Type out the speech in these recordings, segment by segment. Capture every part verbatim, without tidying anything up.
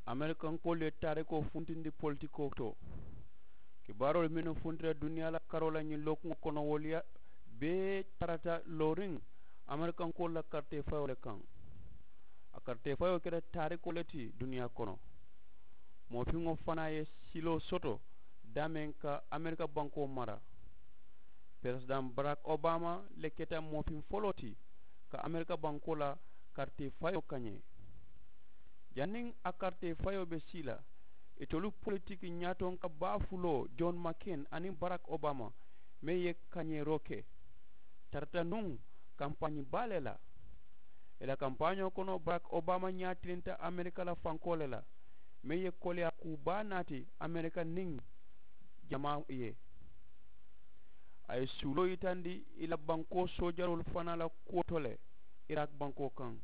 Amerikankoolu ye taarikoo funtindi politikoo to. Kibaaroolu mennu funtita duniyaa la karoo la ñiŋ lookuŋo kono wolu ye bee tarata looriŋ amerikankoolu la karitee fayoo le kaŋ. A karitee fayoo keta taarikoo le ti duniyaa kono. Moo fiŋo fanaa ye siloo soto daameŋ ka amerika bankoo mara. Peresidaŋ barak obama le keta moo fiŋ foloo ti ka amerika bankoo la karitee fayoo kañee. Janniŋ a karitee fayoo be sii la, itolu politiki ñaatonka baa fuloo john makin aniŋ barak obama meŋ ye kañeeroo ke tarata nuŋ kampaañi baa le la. I la kampaañoo kono barak obama ñaatilinta amerika la fankoo le la meŋ ye koleyaa kuu baa naati amerika niŋ jamaa ye. A ye suuloo yitandi i la bankoo soojaroolu fanaa la kuwo to le irak bankoo kaŋ.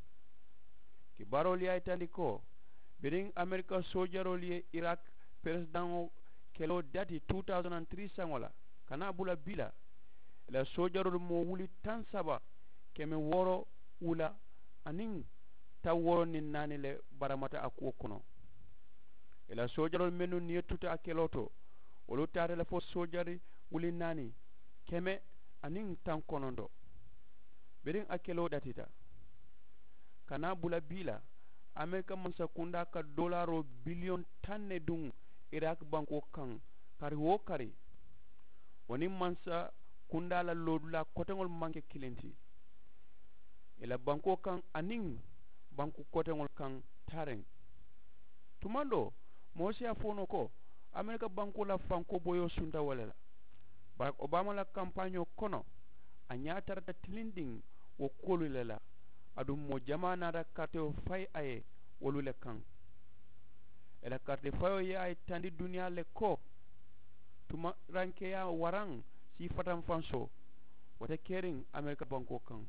Kibaaroolu ye a yitandi ko biriŋ amerika soojaroolu ye irak peresidaŋo keloo dati two thousand and three saŋo la ka naa bula bii la i la soojaroolu moo wuli taŋ saba keme wooro wula aniŋ taŋ wooro niŋ naani le baramata a kuwo kono. I la soojaroolu mennu niŋ ye tuta a keloo to wolu taata le fo soojari wuli naani keme aniŋ taŋ kononto. Biriŋ a keloo datita ka naa bula bii la amerika mansa kundaa ka doolaaroo biliyoŋ taŋ ne duŋ irak bankoo kaŋ kari wo kari. Wo niŋ mansa kundaa la loodulaa koteŋolu maŋ ke kiliŋ ti i la bankoo kaŋ aniŋ banku koteŋolu kaŋ taariŋ. Tumandoo moo si a fo noo ko amerika bankoo la fankoo boyoo sunta wo le la. Barak obama la kampaañoo kono a ñaa tarata tilindiŋ wo kuwolu le la. Aduŋ moo jamaa naata karitewoo fayi a ye wolu le kaŋ. I la karitee fayoo ye a yitandi duniyaa le ko tumarankeyaa waraŋ sii fatanfansoo wo te keriŋ amerika bankoo kaŋ.